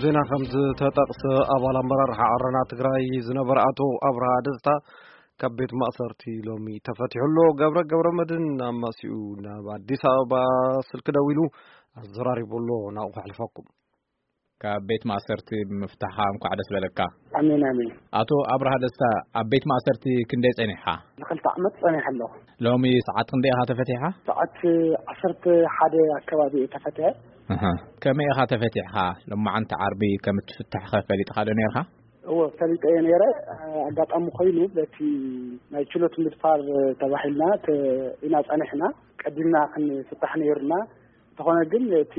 ዜና ከም ዝተጠቕሰ፣ ኣባል ኣመራርሓ ዓረና ትግራይ ዝነበረ ኣቶ ኣብርሃ ደስታ ካብ ቤት ማእሰርቲ ሎሚ ተፈቲሑ ኣሎ። ገብረ ገብረ መድህን ኣማሲኡ ናብ ኣዲስ ኣበባ ስልኪ ደዊሉ ኣዘራሪቡ ኣሎ። ናብኡ ከሕልፈኩም። ካብ ቤት ማእሰርቲ ብምፍታሕካ እንኳዕ ደስ በለካ። ኣሜን፣ ኣሜን። ኣቶ ኣብርሃ ደስታ፣ ኣብ ቤት ማእሰርቲ ክንደይ ጸኒሕካ? ንኽልተ ዓመት ጸኒሐ ኣለኹ። ሎሚ ሰዓት ክንደይ ኢኻ ተፈቲሕካ? ሰዓት ዓሰርተ ሓደ ኣከባቢ እየ ተፈቲሐ። ኣሃ። ከመይ ኢኻ ተፈቲሕካ? ሎማዓንቲ ዓርቢ ከም እትፍታሕኸ ፈሊጥካ ዶ ነይርካ? እወ፣ ፈሊጠ እየ ነይረ። ኣጋጣሚ ኮይኑ በቲ ናይ ችሎት ምድፋር ተባሂልና ተ-፣ ኢና ጸኒሕና። ቀዲምና ክንፍታሕ ነይሩና። እንተኾነ ግን እቲ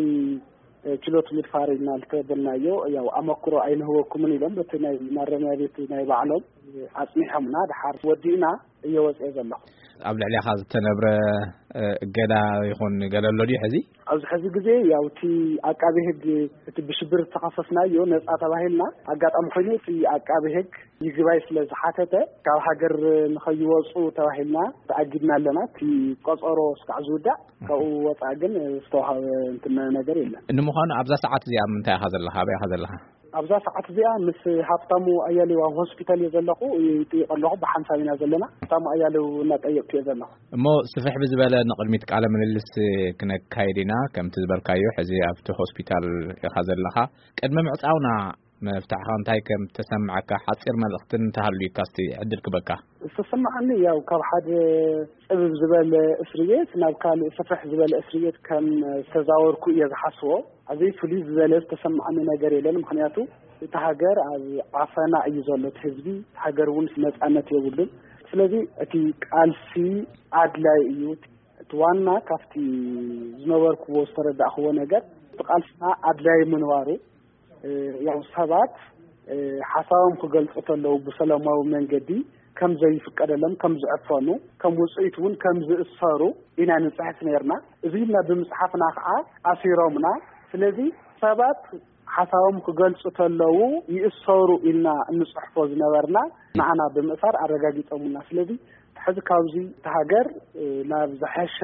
ችሎት ምድፋር ኢልና ዝተበልናዮ፣ ያው ኣመክሮ ኣይንህበኩምን ኢሎም በቲ ናይ ማረሚያ ቤት ናይ ባዕሎም ኣጽኒሖምና። ድሓር ወዲእና እየ ወጽኤ ዘለኹ። ኣብ ልዕሌኻ ዝተነብረ፣ እ፣ እገዳ ይኹን ገለ ኣሎ ድዩ ሕዚ? ኣብዚ ሕዚ ግዜ ያው እቲ ኣቃቤ ሕግ እቲ ብሽብር ዝተኸሰስናዮ ነጻ ተባሂልና፣ ኣጋጣሚ ኮይኑ እቲ ኣቃቤ ሕግ ይግባይ ስለ ዝሓተተ ካብ ሃገር ንኸይወጹ ተባሂልና ተኣጊድና ኣለና። እቲ ቆጸሮ እስካዕ ዝውዳእ ካብኡ ወጻእ ግን ዝተዋሃበ እንትን ነገር የለን። ንምዃኑ ኣብዛ ሰዓት እዚኣ ምንታይ ኢኻ ዘለኻ? ኣበይ ኢኻ ዘለኻ? ኣብዛ ሰዓት እዚኣ ምስ ሃብታሙ ኣያሌው ኣብ ሆስፒታል እየ ዘለኹ። ይጥይቕ ኣለኹ፣ ብሓንሳብ ኢና ዘለና። ሃብታሙ ኣያሌው እናጠየቅኩ እየ ዘለኹ። እሞ ስፍሕ ብዝበለ ንቕድሚት ቃለ ምልልስ ክነካይድ ኢና። ከምቲ ዝበልካዮ ሕዚ ኣብቲ ሆስፒታል ኢኻ ዘለኻ። ቅድሚ ምዕጻውና ምፍታሕኻ እንታይ ከም ተሰምዐካ ሓጺር መልእኽቲ እንተሃልዩካ እስቲ ዕድል ክበካ። ዝተሰማዓኒ ያው ካብ ሓደ ጽብብ ዝበለ እስሪ ቤት ናብ ካልእ ስፍሕ ዝበለ እስሪ ቤት ከም ዝተዛወርኩ እየ ዝሓስቦ። ኣብዚ ፍሉይ ዝበለ ዝተሰማዓኒ ነገር የለን። ምኽንያቱ እቲ ሃገር ኣብ ዓፈና እዩ ዘሎ፣ እቲ ህዝቢ፣ እቲ ሃገር እውን ነጻነት የብሉን። ስለዚ እቲ ቃልሲ ኣድላይ እዩ። እቲ ዋና ካብቲ ዝነበርኩዎ ዝተረዳእኩዎ ነገር እቲ ቃልስና ኣድላይ ምንባሩ፣ እ፣ ያው ሰባት፣ እ፣ ሓሳቦም ክገልጹ ከለዉ ብሰላማዊ መንገዲ ከም ዘይፍቀደሎም፣ ከም ዝዕፈኑ፣ ከም ውጽኢት እውን ከም ዝእሰሩ ኢና ንጽሕፍ ነይርና። እዚ ኢልና ብምጽሓፍና ከዓ ኣሲሮምና። ስለዚ ሰባት ሓሳቦም ክገልጹ ከለዉ ይእሰሩ ኢልና እንጽሕፎ ዝነበርና ንዓና ብምእሳር ኣረጋጊጾምና። ስለዚ ሕዚ ካብዚ እቲ ሃገር፣ እ፣ ናብ ዝሐሸ፣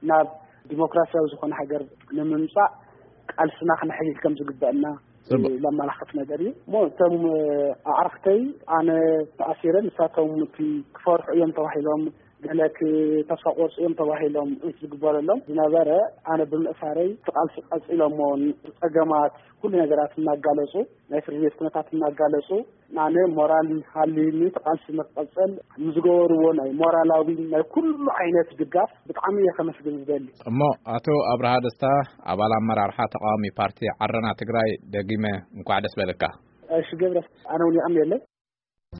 ናብ ዲሞክራሲያዊ ዝኾነ ሃገር ንምምጻእ ቃልስና ክነሐይል ከም ዝግበአና ጽቡቅ። ለማላኽት ነገር እዩ። እሞ እቶም ኣዕርኽተይ ኣነ ተኣሲረ፣ ንሳቶም እቲ ክፈርሑ እዮም ተባሂሎም፣ ገለ ክ-፣ ተስፋ ቆርጹ እዮም ተባሂሎም ዝግበረሎም ዝነበረ፣ ኣነ ብምእሳረይ እቲ ቃልሲ ቀጺሎሞ፣ ጸገማት ኩሉ ነገራት እናጋለጹ፣ ናይ ፍርዲ ቤት ኩነታት እናጋለጹ፣ ኣነ ሞራል ሃልዩኒ እቲ ቃልሲ ንክቐጽል ንዝገበርዎ ናይ ሞራላዊ ናይ ኩሉ ዓይነት ድጋፍ ብጣዕሚ እየ ከመስግን ዝደሊ። እሞ ኣቶ ኣብርሃ ደስታ፣ ኣባል ኣመራርሓ ተቃዋሚ ፓርቲ ዓረና ትግራይ፣ ደጊመ እንኳዕ ደስ በለካ። እሺ ገብረ፣ ኣነ እውን የቐንየለይ።